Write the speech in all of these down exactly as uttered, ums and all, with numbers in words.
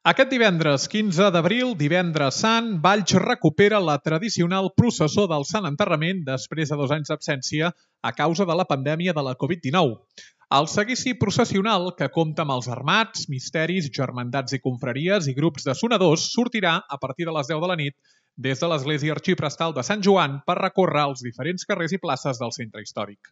Aquest divendres quinze d'abril, divendres sant, Valls recupera la tradicional processó del Sant Enterrament després de dos anys d'absència a causa de la pandèmia de la covid dinou. El seguici processional, que compta amb els armats, misteris, germandats i confraries i grups de sonadors, sortirà a partir de les deu de la nit des de l'església arxiprestal de Sant Joan per recórrer els diferents carrers i places del centre històric.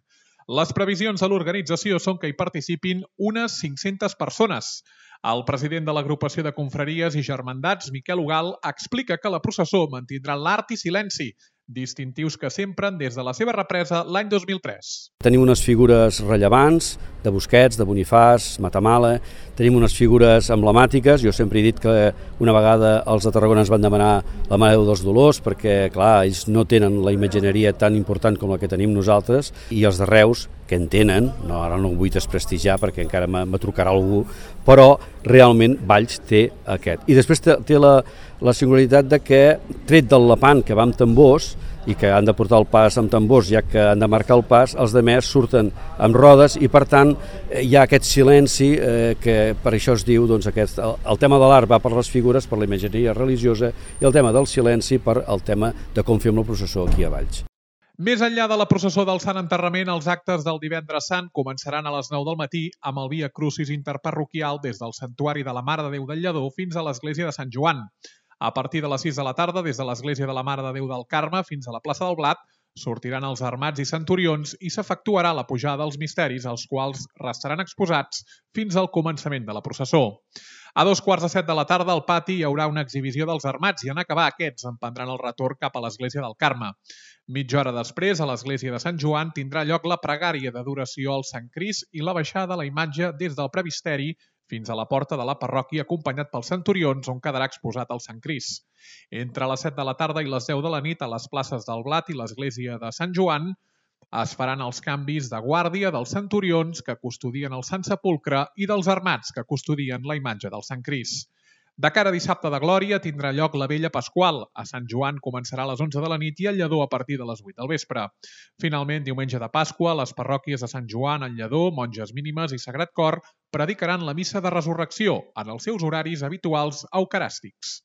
Les previsions de l'organització són que hi participin unes cinc-centes persones. El president de l'agrupació de confraries i germandats, Miquel Ugal, explica que la processó mantindrà l'art i silenci, distintius que s'empren des de la seva represa l'any dos mil tres. Tenim unes figures rellevants de Busquets, de Bonifàs, Matamala, tenim unes figures emblemàtiques. Jo sempre he dit que una vegada els de Tarragona ens van demanar la Mare dels Dolors perquè, clar, ells no tenen la imatgineria tan important com la que tenim nosaltres, i els de Reus, que en tenen, no, ara no ho vull desprestigiar perquè encara me trucarà algú, però realment Valls té aquest. I després té, té la, la singularitat de que, tret del lapant que va amb tambors, i que han de portar el pas amb tambors, ja que han de marcar el pas, els demés surten amb rodes i, per tant, hi ha aquest silenci eh, que per això es diu, doncs, aquest, el, el tema de l'art va per les figures, per la imatgeria religiosa, i el tema del silenci per el tema de com fem la processó aquí a Valls. Més enllà de la processó del Sant Enterrament, els actes del divendres sant començaran a les nou del matí amb el Via Crucis interparroquial des del Santuari de la Mare de Déu del Lledó fins a l'església de Sant Joan. A partir de les sis de la tarda, des de l'església de la Mare de Déu del Carme fins a la plaça del Blat, sortiran els armats i centurions i s'efectuarà la pujada dels misteris, els quals restaran exposats fins al començament de la processó. A dos quarts de set de la tarda, al pati, hi haurà una exhibició dels armats i en acabar aquests emprendran el retorn cap a l'església del Carme. Mitja hora després, a l'església de Sant Joan, tindrà lloc la pregària d'adoració al Sant Crist i la baixada de la imatge des del presbiteri fins a la porta de la parròquia, acompanyat pels centurions, on quedarà exposat el Sant Crist. Entre les set de la tarda i les deu de la nit, a les places del Blat i l'església de Sant Joan, es faran els canvis de guàrdia dels centurions que custodien el Sant Sepulcre i dels armats que custodien la imatge del Sant Crist. De cara a dissabte de Glòria tindrà lloc la Vella Pasqual. A Sant Joan començarà a les onze de la nit i al Lledó a partir de les vuit del vespre. Finalment, diumenge de Pasqua, les parròquies de Sant Joan, el Lledó, Monges Mínimes i Sagrat Cor predicaran la missa de resurrecció en els seus horaris habituals eucaràstics.